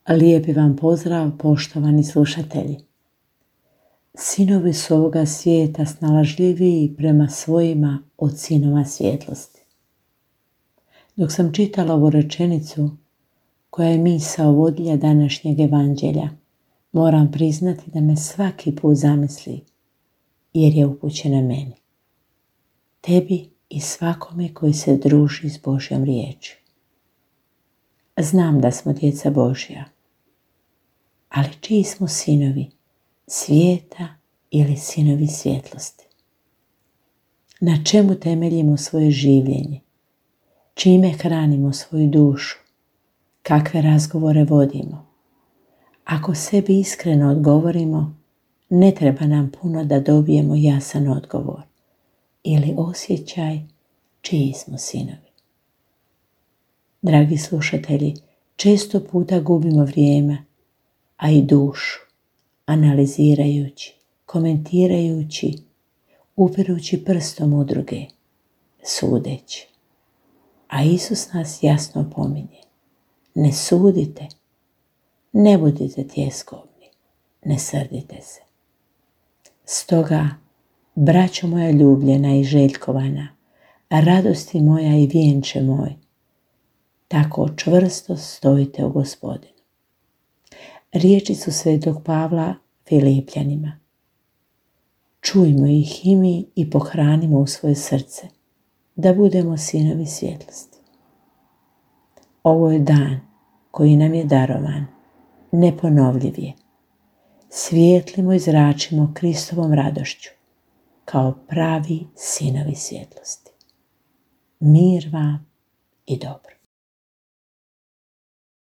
Lijepi vam pozdrav, poštovani slušatelji. Sinovi su ovoga svijeta snalažljiviji prema svojima od sinova svjetlosti. Dok sam čitala ovu rečenicu, koja je misao vodilja današnjeg evanđelja, moram priznati da me svaki put zamisli, jer je upućena meni, tebi i svakome koji se druži s Božjom riječi. Znam da smo djeca Božja, ali čiji smo sinovi, svijeta ili sinovi svjetlosti? Na čemu temeljimo svoje življenje? Čime hranimo svoju dušu? Kakve razgovore vodimo? Ako sebi iskreno odgovorimo, ne treba nam puno da dobijemo jasan odgovor ili osjećaj čiji smo sinovi. Dragi slušatelji, često puta gubimo vrijeme, a i dušu, analizirajući, komentirajući, upirući prstom u druge, sudeći. A Isus nas jasno opominje: ne sudite, ne budite tjeskobni, ne srdite se. Stoga, braćo moja ljubljena i željkovana, radosti moja i vjenče moj, tako čvrsto stojite u Gospodinu. Riječi su svetog Pavla Filipljanima. Čujmo ih i mi i pohranimo u svoje srce, da budemo sinovi svjetlosti. Ovo je dan koji nam je darovan, neponovljiv je. Svijetlimo i zračimo Kristovom radošću, kao pravi sinovi svjetlosti. Mir vam i dobro.